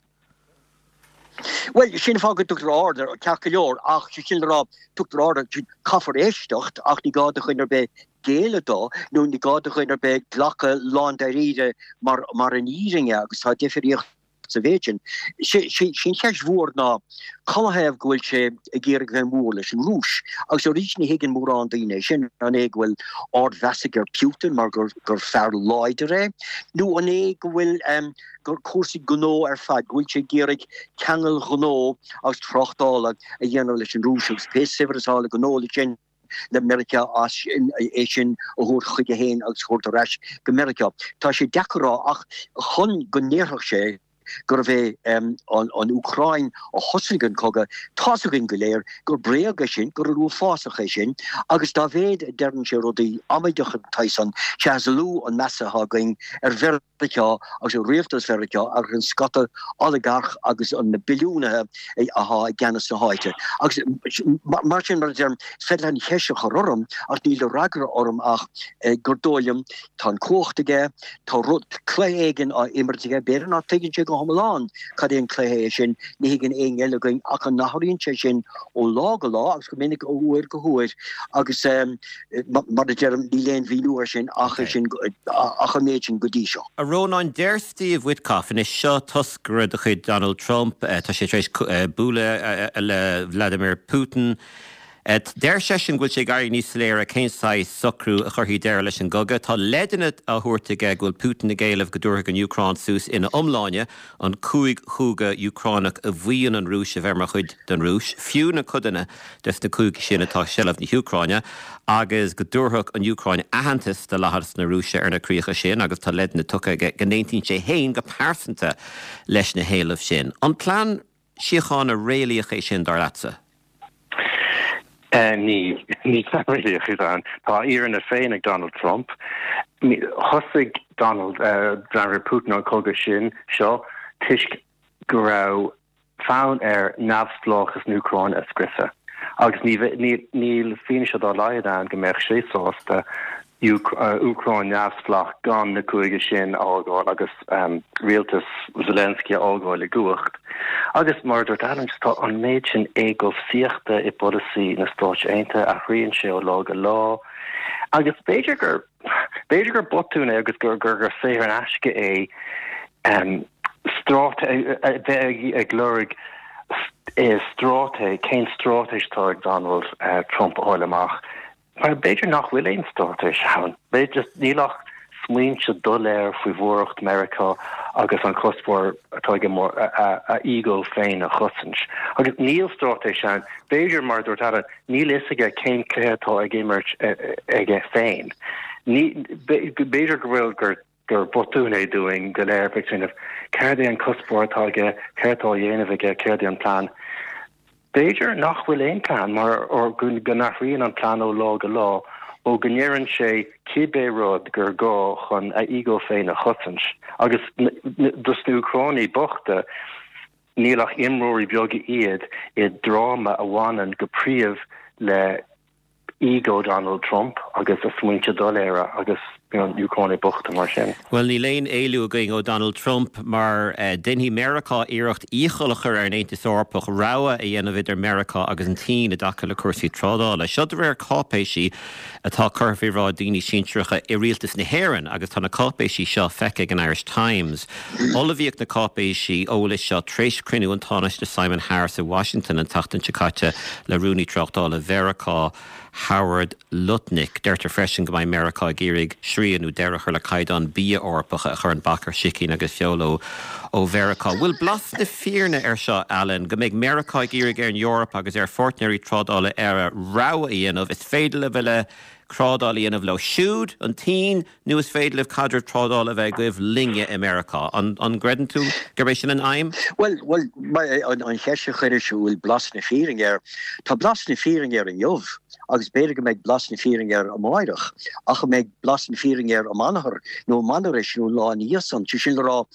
S7: Bhuel, sin an fáth go dtugtar aird air, ceart go leor, ach sé sin le rá, tugtar aird air, caithfear éisteacht ach ní gá do dhuine ar bith géilleadh dó nó ní gá do dhuine ar bith glacadh lándáiríre mar, mar an fhírinne agus tá difríocht sa mhéid sin. Sé an cheist mhór ná canathaobh go bhfuil sé ag iarraidh bheith mór leis an Rúis? Agus arís ní thuigeann mórán daoine é sin. An é go bhfuil ardmheas aige ar Putin mar gur gur fear láidir é? Nó an é go bhfuil gur cúrsaí gnó ar fad, go bhfuil sé ag iarraidh ceangail ghnó agus tráchtála a dhéanamh leis an Rúis agus pé saibhreas atá le gnó leis sin le Meiriceá as sin, é sin a thabhairt chuige féin agus a thabhairt ar ais go Meiriceá. Tá sé deacair a rá ach chun go ndéarfadh sé gurbh é an Úcráin a thosaigh an cogadh, tá's againn go léir gur bréag é sin, gur rud uafásach é sin agus dá mhéad a deireann sé rudaí amaideacha den tsaghas san, sea is lú an meas atá againn ar Mheiriceá. Mheiriceá agus ar rialtas Mheiriceá agus an scata olagarch agus na billiúnaithe atá i gceannas na háite. Agus mar sin, mar a deirim, is féidir leat an cheist a chur orm ach níl de fhreagra orm ach gur dóigh liom, tá an cumhacht aige, tá rud, cluiche éigin á imirt aige, b'fhéidir nach dtuigeann sé go hiomlán cad é an cluiche é sin, ní thuigeann éinne eile againn ach an athraíonn sé sin ó lá go lá agus go minic ó uair go huair agus Mar a deirim, níl aon mhíniú air sin ach é sin, ach an méid sin go dtí seo.
S1: A Rónáin, deir Steve Witkoff, anois seo toscaire de chuid Donald Trump, tá sé tar éis bualadh le Vladimir Putin, deir seisean go bhfuil sé ag éirí níos soiléire cén saghas socrú a chuirfidh deireadh leis an gcogadh. Tá leideanna á thabhairt aige go bhfuil Putin ag éileamh go dtabharfadh an Úcráin suas ina iomláine an cúig chúige Úcránach a mhaíonn an Rúis a bheith mar chuid den Rúis, fiú na codanna des na cúigí sin atá i seilbh na hÚcráine agus go dtabharfadh an Úcráin aitheantas do dleathas na Rúise ar na críocha sin agus tá leideanna tugtha aige go n-aontaíonn sé féin go pearsanta leis na héilimh sin. An plean síochána réalaíoch é sin, dar leatsa?
S6: Níl. Níl plean réalaíoch ann. Tá a fhírinne féin ag Donald Trump. Thosaigh Donald, Vladimir Putin an cogadh sin seo toisc go raibh fonn air neamhspleáchas na hÚcráine a scriosadh. Agus níl fianaise dá laghad ann go mbeadh sé sásta Úcráin neamhspleách gan na cúige sin a fhágáil agus rialtas Zelensky a fhágáil i gcumhacht. Agus mar a dúirt Alan, tá an méid sin éagobhsaíochta i bpolasaí na Stáit Aontaithe, athraíonn sé ó lá go lá. Agus b'fhéidir gur b'fhéidir gur botún é agus gur gur saothar in aisce é a bheith ag lorg straitéis, cén straitéis atá ag Donald Trump a fháil amach. Mar b'fhéidir nach bhfuil aon straitéis ann. B'fhéidir níl ach smaointe doiléir faoi mhóracht Meiriceá agus an cuspóir atá aige mar a ego féin a chosaint. Agus níl straitéis ann. B'fhéidir, mar a dúirt Alan, níl fhios aige cén cluiche atá ag imirt aige féin. B'fhéidir go bhfuil gur gur botún é dúinn go léir bheith ag smaoineamh céard é an cuspóir atá aige, céard atá á dhéanamh aige, céard é an plean. B'fhéidir nach bhfuil aon plean mar or go n-athraíonn an plean ó lá go lá ó go ndeireann sé cibé rud gur gá chun a ego féin a chosaint. Agus dos na Úcránaigh bochta, níl ach imreoirí beaga iad i dráma a bhaineann go príomh le ego Donald Trump agus a smaointe doiléire agus na Úcránaigh bochta mar sin.
S1: Bhuel, níl aon éalú againn ó Donald Trump mar déanfaidh Meiriceá iarracht iachall a chur ar an Aontas Eorpach rogha a dhéanamh idir Meiriceá agus an tSín i dtaca le cúrsaí trádála. Seo de réir cáipéisí atá curtha faoi bhráid daoine sinsearacha i rialtas na hÉireann agus tá na cáipéisí seo feicthe ag an Irish Times. Ullmhaíodh na cáipéisí eolais seo tar éis cruinniú an Tánaiste Simon Harris i Washington an tseachtain seo caite le Rúnaí Tráchtála Mheiriceá, Howard Lutnick. Deirtear freisin go mbeidh Meiriceá ag iarraidh srian nó deireadh a chur le caighdeáin bia Eorpacha a chuireann bac ar sicín agus feoil ó Mheiriceá. Bhfuil blas na fírinne air seo, Alan, go mbeidh Meiriceá ag iarraidh ar an Eoraip agus ar pháirtnéirí trádála eile rogha a dhéanamh, is féidir libh a bheith le trádáil a dhéanamh leo siúd, an tSín, Nó is féidir libh caidreamh trádála a bheith agaibh linne i Meiriceá. An gcreideann tú gurb é sin an aidhm?
S7: Bhuel, bhuel, an cheist a chuiris an bhfuil blas na fírinne air, tá blas na fírinne air inniu agus b'fhéidir go mbeidh blas na fírinne air amáireach, ach an mbeidh blas na fírinne air amanathar nó amanaris nó an lá ina dhiaidh san? Sé sin le rá,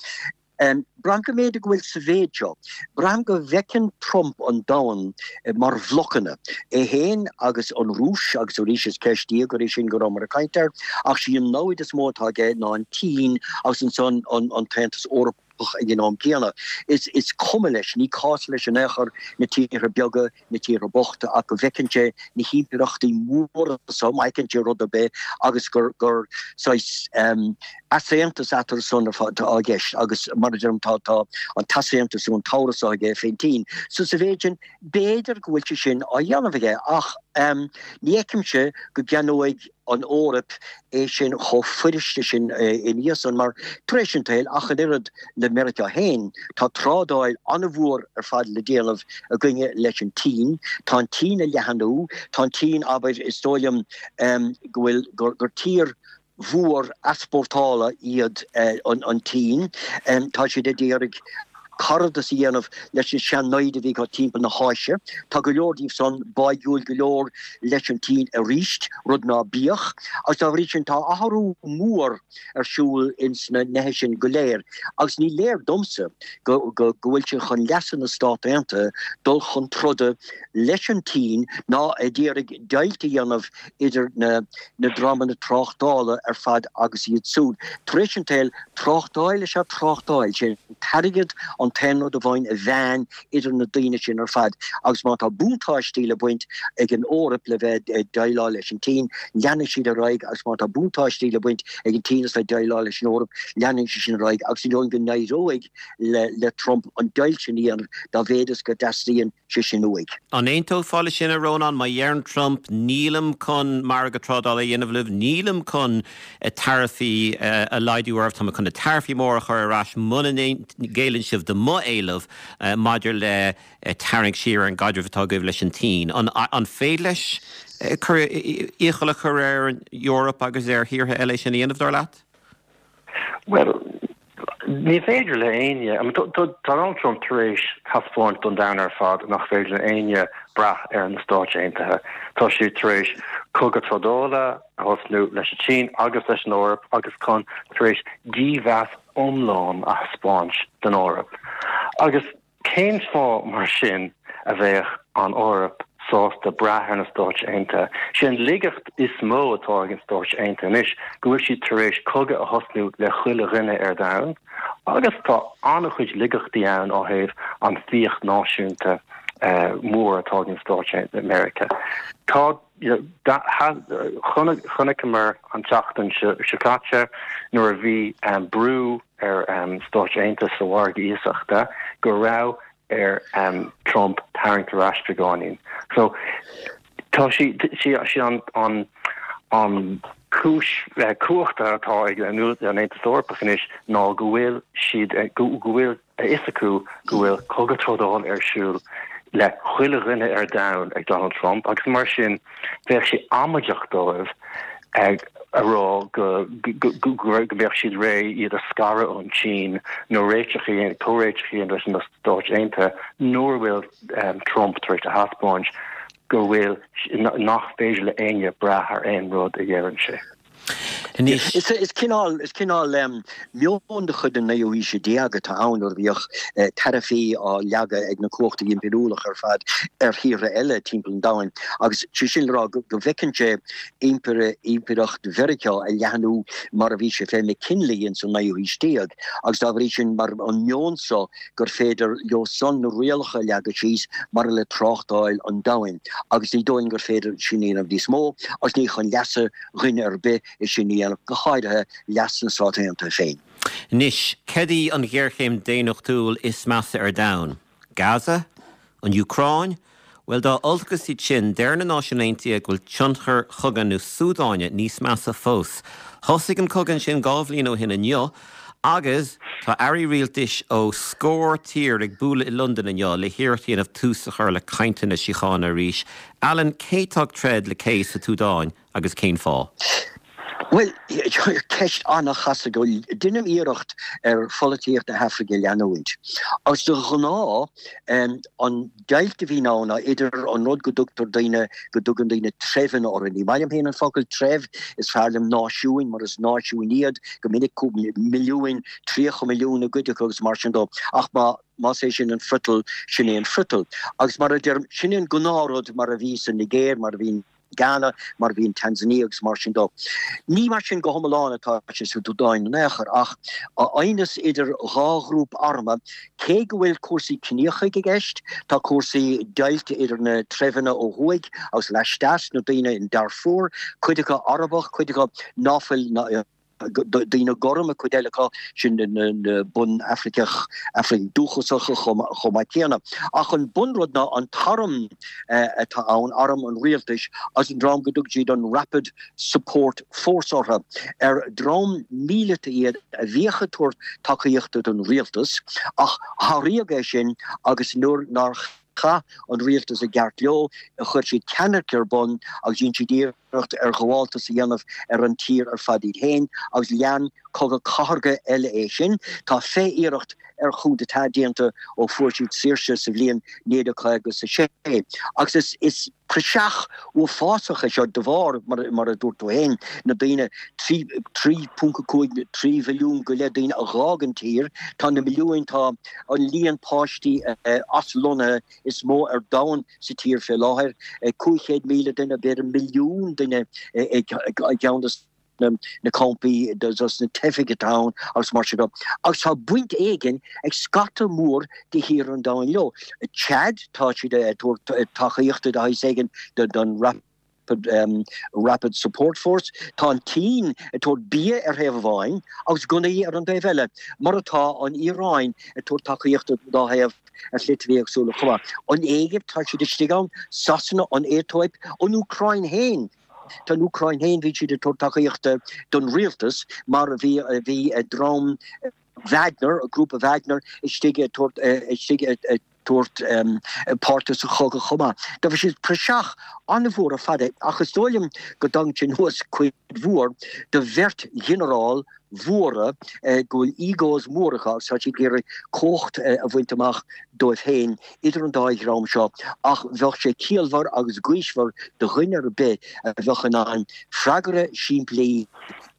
S7: Braithim go mb'fhéidir go bhfuil sa mhéid seo. Braithim go bhfeiceann Trump an domhan mar bhlocanna, é féin agus an Rúis, agus arís is ceist íogair é sin go rabhamar ag caint air, ach sí an namhaid is mó atá aige ná an tSín agus ansan an tAontas Eorpach ag an am céanna. Is cuma leis, ní cás leis in aon chor na tíortha beaga, na tíortha bochta ach go bhfeiceann sé na himpireachtaí móra so, má fheiceann sé rud ar bith agus gur gur saghas easaontas eatarthu san atá i gceist agus mar a deirim tá tá an t-easaontas nó an t-amhras seo aige fén tSín. So sa mhéid sin b'fhéidir go bhfuil sé sin á dhéanamh aige ach ní fheicimse go gceannóidh an Eoraip é sin chomh fuiriste sin ina dhiaidh san, mar tar éis an tsaoil, ach an oiread le Meiriceá féin, tá trádáil an-mhór ar fad le déanamh againne leis an tSín. Tá an tSín ag leathanú, tá an tSín, abair, is dóigh liom go bhfuil, gur tír mhór easpórtála iad an tSín. Tá siad ag iarraidh caradas a dhéanamh leis na sean-naimhde a bhí acu timpeall na hÁise. Tá go leor díobh san báidhiúil go leor leis an tSín arís, rud ná bíodh. Agus dá bhrí sin tá athrú mór ar siúl ins na neithe sin go léir. Agus ní léir domsa go go bhfuil sé chun leasa na Stát Aontaithe dul chun troda leis an tSín ná ag iarraidh deighilt a dhéanamh idir na na dreamanna tráchtála ar fad agus iad siúd. Tar éis an tsaoil, tráchtáil is ea tráchtáil. Sé an t-airgead an t-aon rud amháin a mheánn idir na daoine sin ar fad agus má tá buntáistí le baint ag an Eoraip le bheith ag déileáil leis an tSín, leanfaidh siad ar aghaidh agus má tá buntáistí le baint ag an tSín as bheith ag déileáil leis an Eoraip, leanfaidh sé sin ar aghaidh agus ní dóigh liom go n-éireoidh le Trump an deighilt sin a dhéanamh dá mhéad is go dteastaíonn sé sin uaidh.
S1: An aontófá leis sin, a Rónáin? Má dheireann Trump, nílim chun margadh trádála a dhéanamh libh, nílim chun taraifí a laghdú oraibh, tá mé chun na taraifí móra a chur ar ais muna ngéilleann sibh do mo éileamh maidir le tarraingt siar ar an gcaidreamh atá agaibh leis an tSín. An féidir leis iachall a chur ar an Eoraip agus ar thíortha eile é sin a dhéanamh, dar leat?
S6: Bhuel, Ní féidir le éinne, tá Donald Trump tar éis taispeáint don domhan ar fad nach féidir le éinne brath ar na Stáit Aontaithe. Tá sé tar éis cogadh trádála a thosnú leis an tSín agus leis an Eoraip agus chun tar éis dímheas iomlán a thaispeáint don Eoraip. Agus Cén fáth, mar sin, a bheadh an Eoraip sásta brath ar na Stáit Aontaithe? Sé an laigeacht is mó atá ag na Stáit Aontaithe anois go bhfuil siad tar éis cogadh a thosnú le chuile dhuine ar domhan agus tá an-chuid laigeachtaí ann ó thaobh an fiach náisiúnta mór atá ag na Stáit Aontaithe Meiriceá. Tá Chonaiceamar an tseachtain seo caite nuair a bhí brú ar Stáit Aontaithe sa mhargadh iasachta go raibh ar Trump tarraingt ar ais beagáinín. So tá sí sí an an an cúis cumhachta atá ag an Aontas Eorpach anois ná go bhfuil siad go bhfuil a fhios acu go bhfuil cogadh trádála ar siúl le chuile dhuine ar domhan ag Donald Trump agus mar sin bheadh sé amaideach dóibh a rá go mbeadh siad réidh iad a scaradh ón tSín nó réiteach a dhéanamh, comhréiteach a dhéanamh leis na Stáit Aontaithe nuair a bhfuil Trump tar éis a thaispeáint go bhfuil nach féidir le éinne brath ar aon rud a dheireann sé.
S1: Anois.
S7: Is cineál, is cineál meon de chuid an naoú haoise déag atá ann nuair a bhíodh taraifí á leagadh ag na cumhachtaí impiriúlacha ar fad ar thíortha eile timpeall an domhain agus sé sin le rá go bhfeiceann sé impire, impireacht Mheiriceá ag leathnú mar a bhí sé fé McKinley ins an naoú haois déag agus dá bhrí sin mar an meon so gur féidir leo san na rialacha a leagadh síos maidir le tráchtáil an domhain agus ní dóigh liom gur féidir sin a dhéanamh níos mó agus ní chun leasa dhuine ar bith é sin a dhéanamh, go háirithe leas na Stát Aontaithe féin.
S1: Anois, céard í an ghéarchéim daonnachtúil is measa ar domhan? Gaza? An Úcráin? Bhuel, dá olcas iad sin, deir na Náisiúin Aontaithe go bhfuil tionchar chogadh na Súdáine níos measa fós. Thosaigh an cogadh ansin 2 bhliain ó shin inniu agus tá airí rialtais ó scór tír ag bualadh i Londain inniu le hiarracht a dhéanamh tús a chur le cainteanna síochána arís. Alan, cé atá ag troid le cé sa tSúdáin? Agus cén fáth?
S7: Bhuel, ceist an-chasta. Deinim iarracht ar pholaitíocht na hAfraice a leanúint. Agus de ghnáth, an deighilt a bhíonn ann ná idir an rud go dtugtar daoine, go dtugann daoine treibheanna orthu. Ní maith liom féin an focal treibh, is fearr liom náisiúin, mar is náisiúin iad, go minic, milliúin, 30 milliún i gcuid acu agus mar sin dó. Ach má. Más é sin an friotal, sin é an friotal. Agus mar a deirim, sin é an gnáthrud mar a bhí sa Nigéir, mar a bhí in Ghana, mar a bhí in Tanzania agus mar sin dó. Ní mar sin go hiomlán atá sé sa tSúdáin in aon chor, ach aighneas idir dhá ghrúpa armtha, cé go bhfuil cúrsaí ciníocha i gceist, tá cúrsaí deighilte idir na treibheanna ó thuaidh agus laisteas, na daoine in Darfur, cuid acu Arabach, cuid acu ná fuil daoine gorma, cuid eile acu sin na bun-Afraiceach, Afraicigh dúchasacha chomh maith céanna. Ach an bunrud ná an t-arm atá ann, arm an rialtais agus an dream go dtugann siad an Rapid Support Force orthu, ar dream míleata iad a bhíodh ag tabhairt tacaíochta don rialtas ach sháraíodh é sin agus nuair nár chaith an rialtas i gceart leo, chuir siad ceannairc ar bun agus dhein siad iarracht ar ghabháltas a dhéanamh ar an tír ar fad iad féin agus lean cogadh cathartha eile é sin. Tá 20 iarracht ar coup d'état déanta ó fuair siad saoirse sa bhliain 1956 agus is is praiseach uafásach é seo de bharr, mar a dúirt tú féin, na daoine, 3.5, 3 mhilliún go leith daoine a dh'fhág an tír, tá na milliúin, tá an líon páistí aslonnaithe is mó ar domhan sa tír fé láthair, 500,000 duine, b'fhéidir milliún duine i gceann de na campaí dos na teifigh atá ann agus mar sin de. Agus tá baint éigin ag scata mór de thíortha an domhain leo. Chad, tá siad ag tabhairt tacaíochta de shaghas éigin don Rapid Support Force. Tá an tSín ag tabhairt bia ar thaobh amháin agus gunnaí ar an dtaobh eile, mar atá an Iaráin ag tabhairt tacaíochta don dá thaobh ar shlite éagsúla chomh maith. An Éigipt, tá siad istigh ann, Sasana, an Aetóip, an Úcráin féin. Tá an Úcráin féin, bhí siad ag tabhairt tacaíochta don rialtas mar bhí bhí dream Wagner, grúpa Wagner istigh ag tabhairt istigh ag. Tabhairt páirte sa chogadh chomh maith. Dá bhrí sin praiseach an-mhór ar fad é ach is dóigh liom go dtagann sé anuas cuid mhór do bheirt ghinearál mhóra go bhfuil egos mór acu agus tá siad ag iarraidh cumhacht a bhaint amach dóibh féin idir an dá dhream seo ach bheadh sé ciallmhar agus gaoismhear do dhuine ar bith a bheadh in ann freagra simplí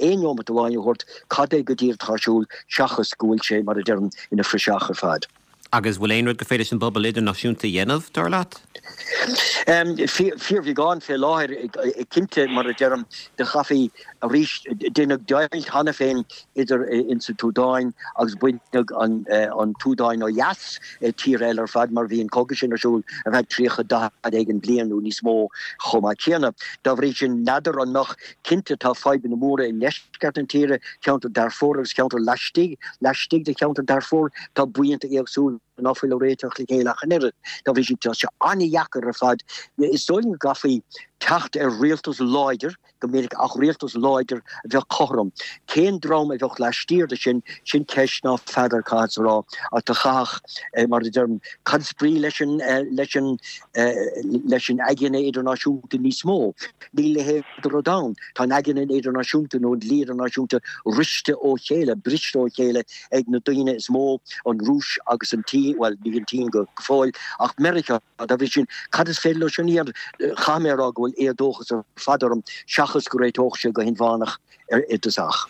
S7: aon neomat amháin a thabhairt cad é go díreach atá ar siúl seachas go bhfuil sé, mar a deirim, ina phraiseach ar fad.
S1: Agus bhfuil aon rud gur féidir leis an bpobal idirnáisiúnta a dhéanamh, dar leat?
S7: Fíorbheagán fé láthair, cinnte, mar a deirim, do chaithfí arís, deineadh deighilt cheana féin idir insa tSúdáin agus baineadh an tSúdáin ó dheas, tír eile ar fad, mar bhí an cogadh sin ar siúl ar feadh 30, 40 éigin bliain nó níos mó chomh maith céanna. Dá bhrí sin, n'fheadar an mbeadh, cinnte tá fadhbanna móra i ndeisceart, deisceart na tíre, ceantar Darfur agus ceantar laistigh, laistigh de cheantar Darfur, tá buíonta éagsúla ná fuil ag réiteach le chéile ach an oiread. Dá bhrí sin, tá sé an-dheacair ar fad. Is dóigh liom go gcaithfí teacht ar rialtas láidir, go minic, ach rialtas láidir a bheadh cothrom. Cén dream a bheadh laistiar de sin, sin ceist ná feadar caithfeadsa a rá, ach do chaithfeadh, mar a deirim, cad is brí leis an, leis an, leis an aigne idirnáisiúnta níos mó? Níl a leithéid de rud ann. Tá an aigne idirnáisiúnta nó an dlí idirnáisiúnta riste ó chéile, briste ó chéile ag na daoine is mó, an Rúis agus an tSín, bhuel, ní an tSín go fóill, ach Meiriceá. Dá bhrí sin, cad is féidir leo sin a dhéanamh? Caithfidh mé a rá go bhfuil éadóchas ar fad orm, seachas go réiteodh sé go hinmheánach i dtosach.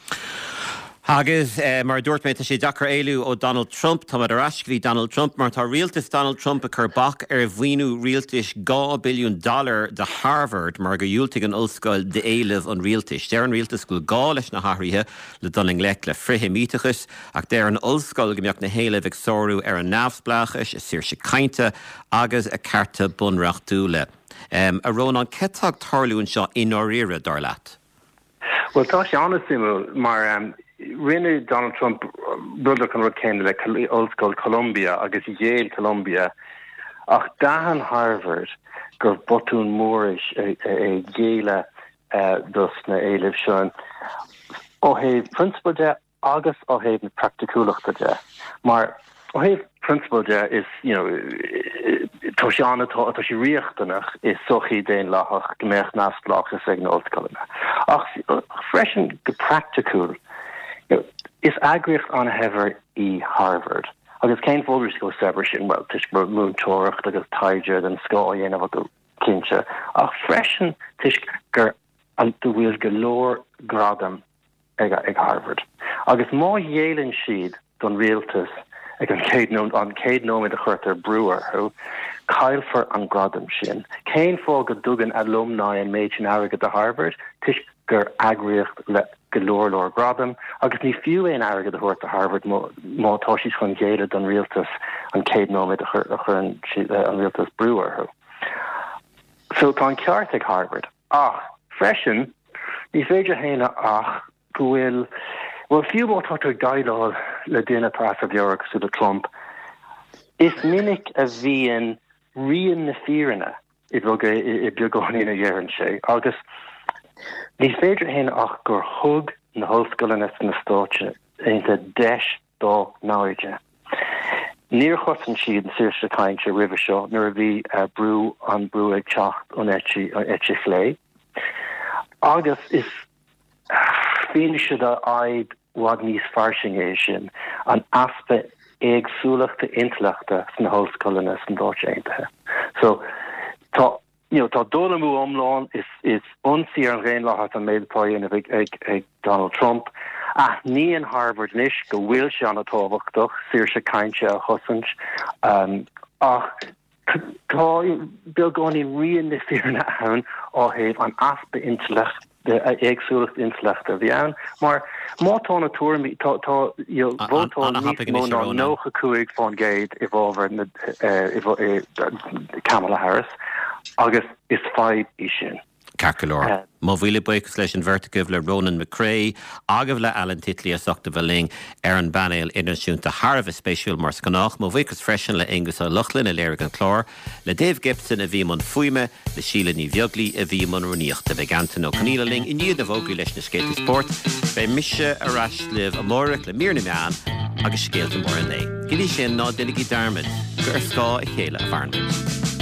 S1: Agus mar a dúirt mé, tá sé deacair éalú ó Donald Trump. Táimid ar ais go dtí Donald Trump mar tá rialtas Donald Trump ag cur bac ar mhaoiniú rialtais 2 billiún dollar do Harvard mar gur dhiúltaigh an ollscoil d'éilimh an rialtais. Deir an rialtas go bhfuil gá leis na hathruithe le dul i ngleic le frith-Sheimíteachas ach deir an ollscoil go mbeadh na héilimh ag sárú ar a neamhspleáchais, a saoirse cainte agus a cearta bunreachtúla. A Rónáin, céard atá ag tarlú anseo i ndáiríre, dar leat?
S6: Bhuel, tá sé an-suimiúil mar rinne Donald Trump rud an rud céanna le Ollscoil Columbia agus ghéill Columbia ach d'aithin Harvard gur botún mór é géilleadh dos na éilimh sin ó thaobh prionsabail de agus ó thaobh na praiticiúlachta de, mar ó thaobh prionsabail de is, you know, tá sé an, tá sé riachtanach i sochaí daonlathach go mbeadh neamhspleáchas ag na ollscoileanna. Ach freisin go praiticiúil, you know, is eagraíocht an-shaibhir í Harvard. Agus cén fáth go bhfuil sí chomh saibhir sin? Bhuel, toisc go bhfuil múinteoireacht agus taighde den scoth á dhéanamh acu, cinnte, ach freisin toisc gur go bhfuil go leor gradam ag Harvard. Agus má ghéilleann siad don rialtas ag an chéad an chéad nóiméad a chuirtear brú orthu, caillfear an gradam sin. Cén fáth go dtugann alumni an méid sin airgid do Harvard? Toisc gur eagraíocht le go leor leor gradam, agus ní fiú aon airgead a thabhairt do Harvard má tá siad chun géilleadh don rialtas an chéad nóiméad a chuireann an rialtas brú orthu. So tá an ceart ag Harvard. Ach freisin, ní féidir a shéanadh ach go bhfuil, bhuel, fiú má tá tú ag déileáil le duine atá as a mheabhair cosúil le Trump, is minic a bhíonn rian na fírinne i beagáinín a dheireann sé. Agus ní féidir a shéanadh ach gur thug na hollscoileanna sna Stáit Aontaithe deis dá naimhde. Níor chosain siad an saoirse cainte roimhe seo nuair a bhí brú an brú ag teacht ón eite chlé. Agus is fianaise de fhadhb i bhfad níos fairsinge é sin, an easpa éagsúlachta intleachta sna hollscoileanna sna Stáit Aontaithe. So tá You know, tá dul amú iomlán, is is ionsaí ar an dhaonlathas an méid atá á dhéanamh ag ag ag Donald Trump. Aithníonn Harvard anois go bhfuil sé an-tábhachtach saoirse cainte a chosaint, ach tá beagáinín rian na fírinne ann ó thaobh an easpa intleacht éagsúlacht intleachta a bhí ann, mar má tá na tuairimí, tá, tá, you know, vótáil níos mó ná 95% i bhfabhar na, i Kamala Harris agus is fadhb í sin.
S1: Ceart go leor. Mo mhíle buíochas leis an bheirt agaibh, le Ronan McCrea agus le Alan Titley as ucht a bheith linn ar an bpainéal idirnáisiúnta. Thar a bheith spéisiúil mar is gnách. Mo bhuíochas freisin le Aonghus Ó Lochlainn a léirigh an clár, le Dave Gibson a bhí i mbun fuaime, le Síle Ní Bheaglaoi a bhí i mbun rúnaíochta. Beidh Antain Ó Conghaile linn i ndiaidh na bhfógraí leis na scéalta spóirt. Beidh mise ar ais libh amárach le mír na meán agus scéalta móra an lae. Go dtí sin, ná déanaigí dearmad. gur ar scáth a chéile a mhaireann muid.